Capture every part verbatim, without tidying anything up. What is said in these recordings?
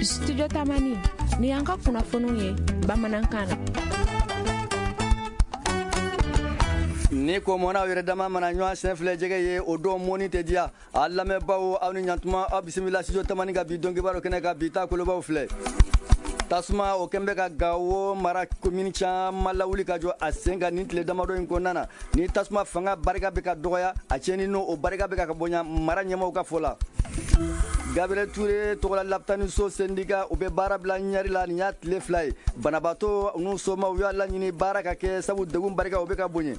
Studio Tamani ni y'an ka kunnafoniw ye bamanankan na. Ni ko mɔna yɛrɛ dama mana ɲɔgɔn sen filɛ jɛgɛ ye o don mɔni tɛ diya. A lamɛnbaaw, aw ni ɲantuma, aw bisimila Studio Tamani ka bi donkibaru kɛnɛ kan. Bi ta kolobaw filɛ: tasuma o kɛn bɛ ka Gawo mara komini caman lawuli ka jɔ a sen kan nin tile damadɔ in kɔnɔna na. Ni tasuma fanga barika bɛ ka dɔgɔya, a tiɲɛni n'o o barika bɛ ka bonya, mara ɲɛmaaw ka fɔ la. Gabriel Touré tɔgɔla lapitaniso syndicat, u bɛ baara bila ɲɛri la nin y'a tile fila ye. Banabaatɔ n'u somaw y'a laɲini baara ka kɛ, sabu degun barika o bɛ ka bonya.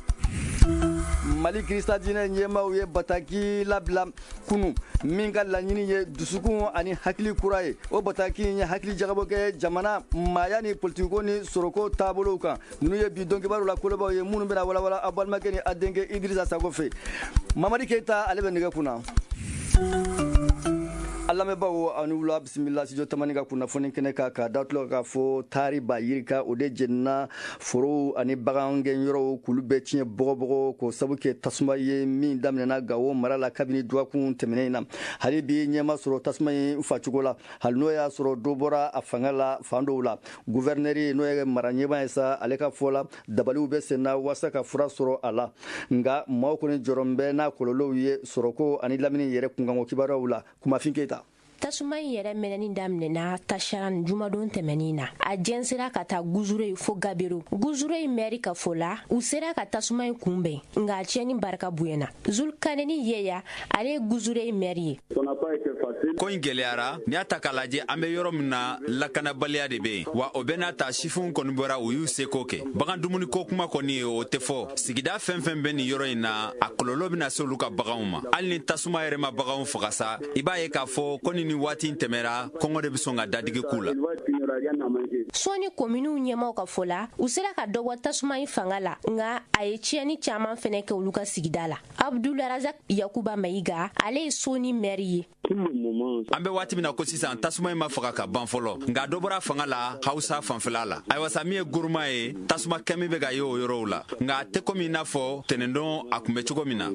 Mali Kirista diinɛ ɲɛmaaw ye bataki labila kunu min ka laɲini ye dusukun ani hakili kura ye. O bataki in ye hakili jagabɔ kɛ jamana maaya ni politikiko ni sɔrɔko taabolow kan. Ninnu ye bi donkibaru la kolobaw ye minnu bɛna walawala aw balimakɛ ni a denkɛ Idrissa Sago fɛ. Mamadi Keita, ale bɛ nɛgɛ kunna. A lamɛnbaaw, aw ni wula, bisimila Studio Tamani ka kunnafoni kɛnɛ kan. Ka da tulo k'a fɔ taari ba yirika o de jenina forow ani bagan gɛnyɔrɔw k'olu bɛɛ tiɲɛ bɔgɔbɔgɔ, k'o sabu kɛ tasuma ye min daminɛna Gawo mara la kabini dɔgɔkun tɛmɛnen in na. Hali bi ɲɛma sɔrɔ tasuma in facogo la, hali n'o y'a sɔrɔ dɔ bɔra a fanga la fan dɔw la. Guvɛrinɛri, n'o ye mara ɲɛmaa ye sa, ale ka fɔ la, dabaliw bɛ sen na walasa ka fura sɔrɔ a la. Nka maaw kɔni jɔrɔ bɛ n'a kɔlɔlɔw ye sɔrɔko ani lamini yɛrɛ kunkanko kibaruyaw la. Kumafin Keyita. Tasuma in yɛrɛ mɛnɛni daminɛna Tasaran jumadon tɛmɛnin na. A jɛnsera ka taa Guzure fo Gabero. Guzure mɛri ka fɔ la, u sera ka tasuma in kunbɛn, nka a tiɲɛni barika bonyana. Zulkaneni Yeya, ale ye Guzure mɛri ye. Ko in gɛlɛyara. N'i y'a ta k'a lajɛ, an bɛ yɔrɔ min na, lakanabaliya de bɛ yen wa. O bɛɛ n'a ta, sifinw kɔni bɔra, u y'u seko kɛ. Bagan dumuniko kuma kɔni, o tɛ fɔ. Sigida fɛn fɛn bɛ nin yɔrɔ in na, a kɔlɔlɔ bɛna se olu ka baganw ma. Hali ni tasuma yɛrɛ ma baganw faga sa, i b'a ye k'a fɔ ko ni waati in tɛmɛra, kɔngɔ de bɛ sɔn ka dadigi k'u la. Sɔɔni kominiw ɲɛmaw ka fɔ la, u sera ka dɔ bɔ tasuma in fanga la, nka a ye tiɲɛni caman fɛnɛ kɛ olu ka sigida la. Abdularazak Yakuba Mayiga, ale ye Sɔɔni mɛri ye. An bɛ waati min na ko sisan, tasuma in ma faga ka ban fɔlɔ, nka dɔ bɔra fanga la Hausa fanfɛla la. Ayiwa sa, min ye Goroma ye, tasuma kɛmi bɛ ka ye o yɔrɔw la, nka a tɛ komi i n'a fɔ tɛnɛndon a kun bɛ cogo min na.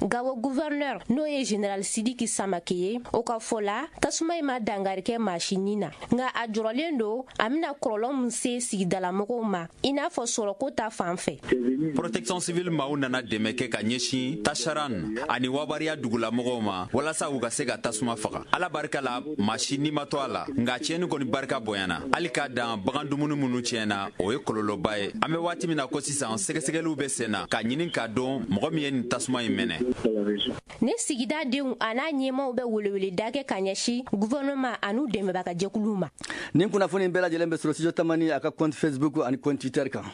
Gawo gouverneur, n'o ye général Sidiki Samake ye, o ka fɔ la, tasuma in ma dangari kɛ maa si ni na, nka a jɔrɔlen don a bɛna kɔlɔlɔ min se sigidalamɔgɔw ma, i n'a fɔ sɔrɔko ta fan fɛ. Protection civile maaw nana dɛmɛ kɛ ka ɲɛsin Tasaran ani Wabariya dugulamɔgɔw ma walasa u ka se ka tasuma faga. Ala barika la, maa si ni ma to a la, nka tiɲɛni kɔni barika bonyana. Hali k'a dan bagan dumuni minnu tiɲɛna, o ye kɔlɔlɔba ye. An bɛ waati min na ko sisan, sɛgɛsɛgɛliw bɛ sen na k'a ɲini k'a dɔn mɔgɔ min ye nin tasuma in mɛnɛ. Ne sigida denw a n'a ɲɛmaw bɛ weleweleda kɛ ka ɲɛsin gouvernement an'u dɛmɛbaga jɛkuluw ma. Nin kunnafoni bɛɛ lajɛlen bɛ sɔrɔ Studio Tamani a ka compte Facebook ani compte Twitter kan.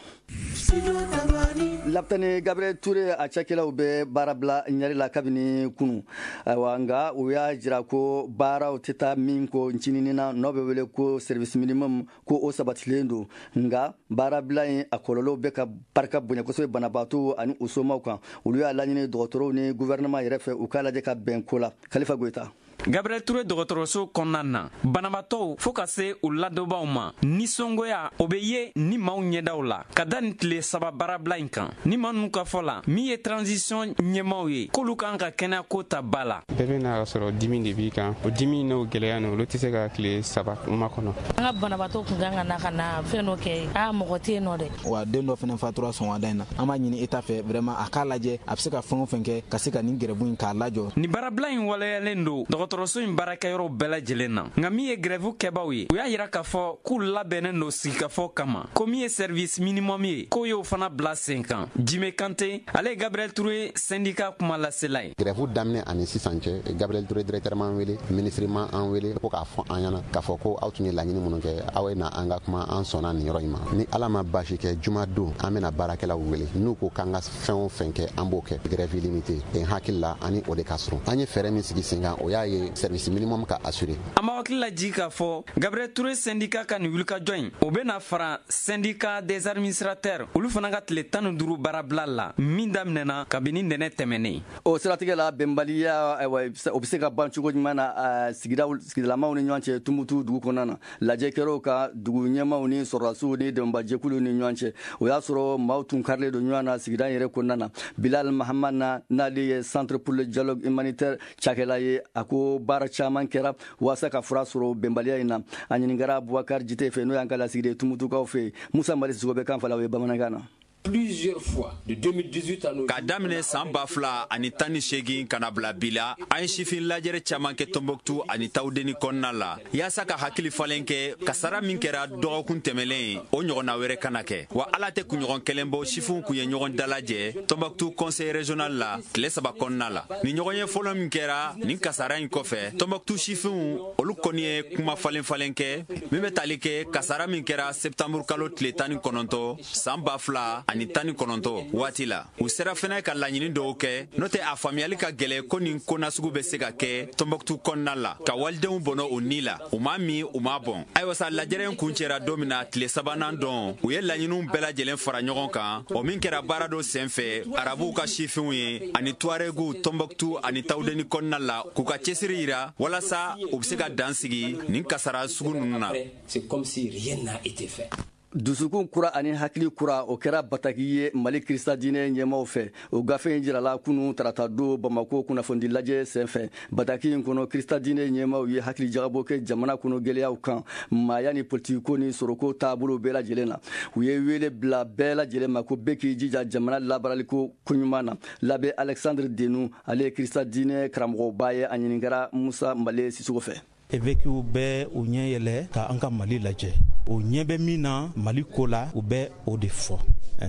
Lapitani Gabriel Touré a cakɛlaw bɛ baara bila ɲɛri la kabini kunu. Ayiwa, nka u y'a jira ko baaraw tɛ taa min ko ncinin na, n'o bɛ wele ko service minimum, ko o sabatilen don. Nka baarabila in a kɔlɔlɔw bɛ ka barika bonya kosɛbɛ banabaatɔw ani u somaw kan. Olu y'a laɲini dɔgɔtɔrɔw ni gouvernement yɛrɛ fɛ, u k'a lajɛ ka bɛn ko la. Khalifa Goyita. Gabriel Touré dɔgɔtɔrɔso kɔnɔna na, banabaatɔw fɔɔ ka se u ladonbaw ma, nisɔngoya o bɛ ye ni maaw ɲɛdaw la ka da nin tile saba baarabila in kan. Ni maa ninnu ka fɔ la, min ye transition ɲɛmaaw ye, k'olu kan ka kɛnɛyako ta ba la. Bɛɛ bɛ n'a sɔrɔ dimi de b'i kan, o dimi n'o gɛlɛya n'o, olu tɛ se ka tile saba makɔnɔ. An ka banabaatɔ kun kan ka na ka na fɛn dɔ kɛ, aa, mɔgɔ tɛ yen nɔ dɛ. Wa den dɔ fana fatura sɔgɔmada in na. An b'a ɲini État fɛ vraiment, a k'a lajɛ a bɛ se ka fɛn o fɛn kɛ ka se ka nin grève in k'a lajɔ. Nin baarabila in waleyalen don dɔgɔtɔrɔso in baarakɛyɔrɔw bɛɛ lajɛlen na. Nka min ye grève kɛbaw ye, u y'a yira k'a fɔ k'u labɛnnen don sigikafɔ kama, ko min ye service minimum ye, k'o y'o fana bila sen kan. Jime Kante, ale ye Gabriel Touré syndicat kuma lasela ye. Grève daminɛ ani sisan cɛ, Gabriel Touré directeur m'an wele, ministre ma an wele ko k'a fɔ an ɲɛna k'a fɔ ko aw tun ye laɲini minnu kɛ, aw ye na an ka kuma, an sɔnna nin yɔrɔ in ma. Ni Ala ma baasi kɛ, juma don an bɛna baarakɛlaw wele. N'u ko k'an ka fɛn o fɛn kɛ, an b'o kɛ. Grève illimité n hakili la, ani o de ka surun. An ye fɛɛrɛ min sigi sen kan, o y'a ye. que service minimum ka assurer. An b'aw hakili lajigin k'a fɔ Gabriel Touré syndicat ka nin wulikajɔ in, o bɛna fara syndicat des administrateurs olu fana ka tile tan ni duuru baarabila la min daminɛna kabini ntɛnɛn tɛmɛnen. O siratigɛ la, bɛnbaliya, ayiwa, o bɛ se ka ban cogo jumɛn na sigidaw sigidalamaw ni ɲɔgɔn cɛ Tumutu dugu kɔnɔna na? Lajɛ kɛra ka dugu ɲɛmaw ni sɔrɔdasiw ni dɛmɛbajɛkuluw ni ɲɔgɔn cɛ. O y'a sɔrɔ maaw tun karilen don ɲɔgɔn na sigida yɛrɛ kɔnɔna na. Bilal Mahamad na, n'ale ye Centre pour le dialogue humanitaire cakɛla ye, a ko baara caman kɛra walasa ka fura sɔrɔ bɛnbaliya in na. A ɲininkara Bubakari Jite fɛ, n'o y'an ka lasigiden Tumutukaw fɛ. Musa Mali Sisoko bɛ kan fala o ye bamanankan na. Plusieurs fois de deux mille dix-huit à nos K'a daminɛ saan ba fila ani tan ni seegin ka na bila bi la, an ye sifin lajɛrɛ caaman kɛ Tɔnbɔkutu ani Tawudeni kɔnɔna la yaasa ka hakili falen kɛ. Kasara min kɛra dɔgɔkun tɛmɛlen, o ɲɔgɔnna wɛrɛ kana kɛ. Wa ala tɛ kunɲɔgɔn kelen bɔ, sifinw kun ye ɲɔgɔn dalajɛ Tɔnbɔkutu conseil régional la tile saba kɔnɔna la. Ni ɲɔgɔn ye fɔlɔ min kɛra nin kasara in kɔfɛ, Tɔnbɔkutu sifinw olu kɔni ye kuma falen falen kɛ min bɛ tali kɛ kasara min kɛra septembre kalo tile tan ni kɔnɔntɔ saan ba fila ani tan ni kɔnɔntɔ waati la. U sera fɛnɛ ka laɲini dɔw kɛ, n'o tɛ a faamuyali ka gwɛlɛ ko nin ko nasugu bɛ se ka kɛ Tɔnbɔkutu kɔnɔna la ka walidenw bɔnɔ u ni la, u m'a min, u m'a bɔn. Ayiwa sa, lajɛrɛ in kun cɛra don min na, tile sabanan dɔn, u ye laɲiniw bɛɛ lajɛlen fara ɲɔgɔn kan, o min kɛra baara dɔ sen fɛ arabuw ka sifinw ye ani tuareguw Tɔnbɔkutu ani Tawudeni kɔnɔna la, k'u ka cɛsiri yira walasa u be se ka dan sigi nin kasara sugu nunu na. C'est comme si rien n'a été fait. Dusukun kura ani hakili kura, o kɛra bataki ye Mali Kirista diinɛ ɲɛmaw fɛ. O gafe in jirala kunu tarata don Bamako kunnafonidi lajɛ senfɛ. Bataki in kɔnɔ, Kirista diinɛ ɲɛmaw ye hakili jagabɔ kɛ jamana kɔnɔ gɛlɛyaw kan, maaya ni politikiko ni sɔrɔko taabolo bɛɛ lajɛlen na. U ye wele bila bɛɛ lajɛlen ma ko bɛɛ k'i jija jamana labaaraliko koɲuman na. L'abbé Alexandre Denu, ale ye Kirista diinɛ karamɔgɔba ye, a ɲininkara Musa Male Sisoko fɛ. Évêques bɛ u ɲɛ yɛlɛ ka an ka Mali lajɛ, o ɲɛ bɛ min na Mali ko la, u bɛ o de fɔ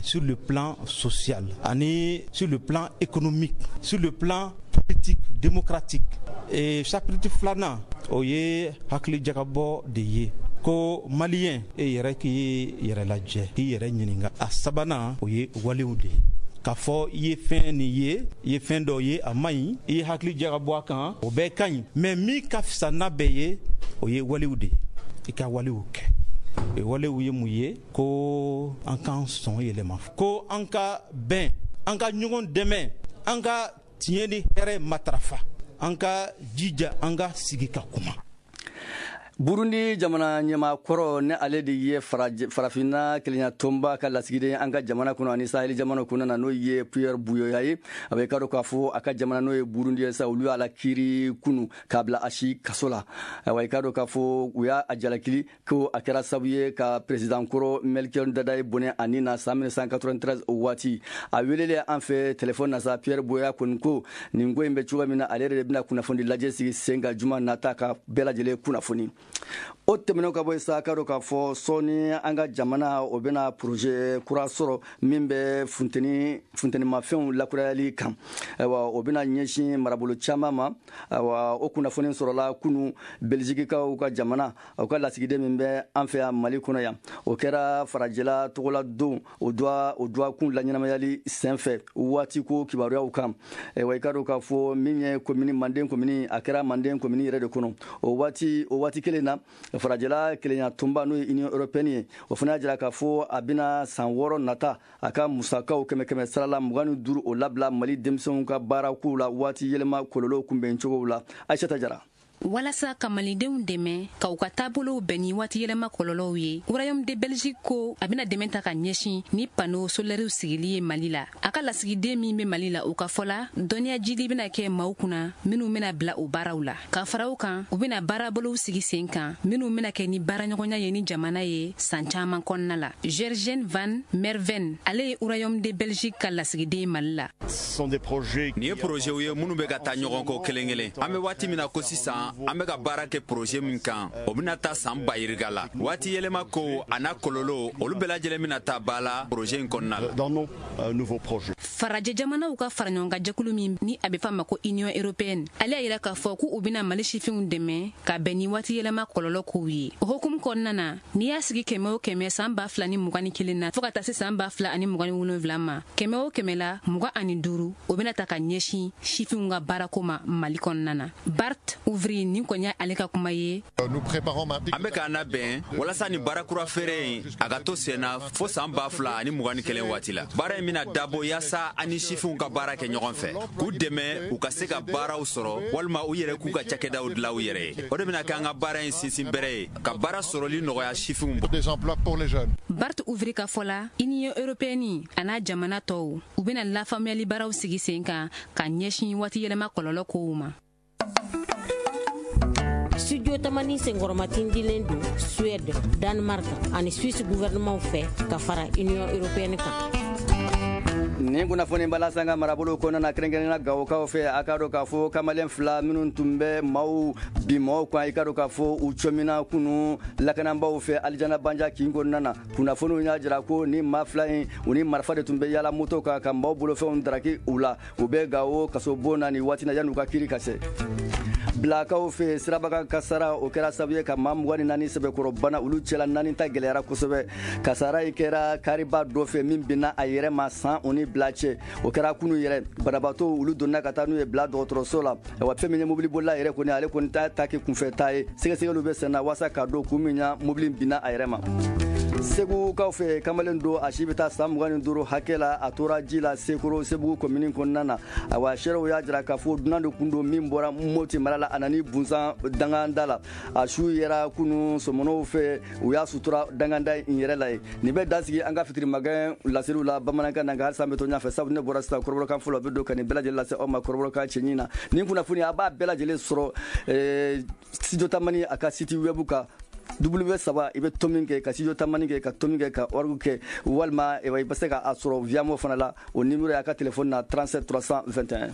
sur le plan social ani sur le plan économique, sur le plan politique démocratique. Et chapitre filanan, o ye hakili jagabɔ de ye ko maliyɛn e yɛrɛ k'i yɛrɛ lajɛ, k'i yɛrɛ ɲininka. A sabanan, o ye walew de ye, k'a fɔ i ye fɛn nin ye, i ye fɛn dɔ ye a man ɲi, i ye hakili jagabɔ a kan, o bɛɛ ka ɲi, mɛ min ka fisa n'a bɛɛ ye, o ye walew de ye, i ka walew kɛ. O walew ye mun ye? Ko an k'an sɔn yɛlɛma, ko an ka bɛn, an ka ɲɔgɔn dɛmɛ, an ka tiɲɛ ni hɛrɛ matarafa, an ka jija an ka sigi ka kuma. Burundi jamana ɲɛmaa kɔrɔ, ni ale de ye Farafinna kelenya tɔnba ka lasigiden an ka jamana kɔnɔ ani Saheli jamana kɔnɔ na, n'o ye Pierre Buyoya ye, a bɛ ka dɔn k'a fɔ a ka jamana, n'o ye Burundi ye sa, olu y'a la kiiri kunu k'a bila a si kaso la. Ayiwa, i ka dɔn k'a fɔ u y'a jalakili ko a kɛra sababu ye ka président kɔrɔ Melchior Ndadaye bɔnɛ a ni na san mille neuf cent quatre-vingt-treize. O waati, a welelen an fɛ téléphone na sa, Pierre Buyoya kɔni ko nin ko in bɛ cogo min na, ale yɛrɛ de bɛna kunnafoni lajɛ sigi sen kan juma nata ka bɛɛ lajɛlen kunnafoni. O tɛmɛnen ka bɔ yen sa, ka dɔn k'a fɔ sɔɔni an ka jamana o bɛna projet kura sɔrɔ min bɛ funteni funtenimafɛnw lakurayali kan. Ayiwa, o bɛna ɲɛsin marabolo caman ma. Ayiwa, o kunnafoni sɔrɔla kunu Belzikikaw ka jamana, o ka lasigiden min bɛ an fɛ yan Mali kɔnɔ yan. O kɛra farajɛla tɔgɔla don o duwa o duwakun laɲɛnamayali senfɛ waati ko kibaruyaw kan. Ayiwa, i ka dɔn k'a fɔ min ye komini Manden komini, a kɛra Manden komini yɛrɛ de kɔnɔ. O waati o waati kelen na, farajɛla kelenya tɔnba, n'o ye Union européenne ye, o fana y'a jira k'a fɔ a bɛna san wɔɔrɔ nata a ka musakaw kɛmɛ kɛmɛ sara la mugan ni duuru, o labila Mali denmisɛnw ka baarakow la waati yɛlɛma kɔlɔlɔw kunbɛn cogow la. Ayisata Jara. Walasa ka malidenw dɛmɛ ka u ka taabolow bɛn ni waati yɛlɛma kɔlɔlɔw ye, Royaume de Belgique ko a bɛna dɛmɛ ta ka ɲɛsin ni panneau solaires sigili ye Mali la. A ka lasigiden min bɛ Mali la, o ka fɔ la, dɔnniya jidi bɛna kɛ maaw kunna minnu bɛna bila o baaraw la. Ka fara o kan, u bɛna baarabolow sigi sen kan minnu bɛna kɛ ni baaraɲɔgɔnya ye ni jamana ye san caman kɔnɔna la. Gergen van Merven, ale ye Royaume de Belgique ka lasigiden Mali la. Nin ye projetw ye minnu bɛ ka taa ɲɔgɔn kɔ kelen kelen. An bɛ waati min na ko sisan, an bɛ ka baara kɛ projet min kan, o bɛna taa san ba yirika la. Waati yɛlɛma ko a n'a kɔlɔlɔ, olu bɛɛ lajɛlen bɛna taa ba la projet in kɔnɔna la. Farajɛ jamanaw ka faraɲɔgɔnkan jɛkulu min ni a bɛ f'a ma ko Union européenne, ale y'a yira k'a fɔ k'u bɛna Mali sifinw dɛmɛ ka bɛn ni waati yɛlɛma kɔlɔlɔ kow ye. O hukumu kɔnɔna na, n'i y'a sigi kɛmɛ o kɛmɛ san ba fila ni mugan ni kelen na fo ka taa se san ba fila ani mugan ni wolonwula ma, kɛmɛ o kɛmɛ la mugan ani duuru o bɛna ta ka ɲɛsin sifinw ka baarako ma Mali kɔnɔna na. Bart Ouvry nin kɔni y'ale ka kuma ye. An bɛ k'an labɛn walasa nin baara kura feere in a ka to sen na fo san ba fila ani mugan ni kelen waati la. Baara in bɛna dabɔ yaasa an ni sifinw ka baara kɛ ɲɔgɔn fɛ, k'u dɛmɛ u ka se ka baaraw sɔrɔ walima u yɛrɛ k'u ka cakɛdaw dilan u yɛrɛ ye. O de bɛna kɛ an ka baara in sinsin bɛrɛ ye, ka baara sɔrɔli nɔgɔya sifinw. Bart Ouvry ka fɔ la, Union européenne a n'a jamana tɔw u bɛna lafaamuyali baaraw sigi sen kan ka ɲɛsin waati yɛlɛma kɔlɔlɔ kow ma. Studio Tamani senkɔrɔmatindilen don Suède, Danemark ani Suisse gouvernement fɛ ka fara Union européenne kan. Nin kunnafoni b'a lase an ka marabolo kɔnɔna na, kɛrɛnkɛrɛnnenya Gawokaw fɛ. A k'a dɔn k'a fɔ kamalen fila minnu tun bɛ maaw bin maaw kan, i k'a dɔn k'a fɔ u cɔmina kunu lakanabaaw fɛ Alijana Banja kin kɔnɔna na. Kunnafoniw y'a jira ko ni maa fila in, u ni marifa de tun bɛ yala moto kan ka maaw bolofɛnw daraki u la. U bɛ Gawo kasobon na nin waati na yan'u ka kiiri ka se. Bilakaw fɛ, sirabakan kasara o kɛra sababu ye ka maa mugan ni naani sɛbɛkɔrɔ bana, olu cɛla naani ta gɛlɛyara kosɛbɛ. Kasara in kɛra kariba dɔ fɛ min binna a yɛrɛ ma san o ni bila cɛ. O kɛra kunu yɛrɛ. Banabaatɔ olu donna ka taa n'u ye bila dɔgɔtɔrɔso la. Wa fɛn min ye mobilibolila yɛrɛ kɔni, ale kɔni ta ta kɛ kunfɛ ta ye. Sɛgɛsɛgɛliw bɛ sen na walasa k'a dɔn kun min na mobili binna a yɛrɛ ma. Segukaw fɛ, kamalen don a si bɛ taa san mugan ni duuru hakɛ la, a tora ji la Sekoro Sebugu komini kɔnɔna na. Awa seerew y'a jira k'a fɔ dunan de kun don min bɔra Moti mara la, a nana bunsan danganda la. A su yɛrɛ kunu sɔmɔnɔw fɛ, u y'a sutura danganda in yɛrɛ la ye. Nin bɛ dansigi an ka fitiri magɛn laseliw la bamanankan na, nka halisa an bɛ to ɲɛfɛ, sabu ne bɔra sisan kɔrɔbɔrɔkan fɔlɔ bɛ don ka nin bɛɛ lajɛlen lase aw ma kɔrɔbɔrɔkan cɛɲi na. Nin kunnafoni a b'a bɛɛ lajɛlen sɔrɔ Studio Tamani a ka site web kan. W saba i bɛ to min kɛ ka Studio Tamani kɛ ka to min kɛ ka org kɛ, walima i bɛ se k'a sɔrɔ Viamo fana la. O numéro y'a ka téléphone na trente-sept trois cent vingt et un.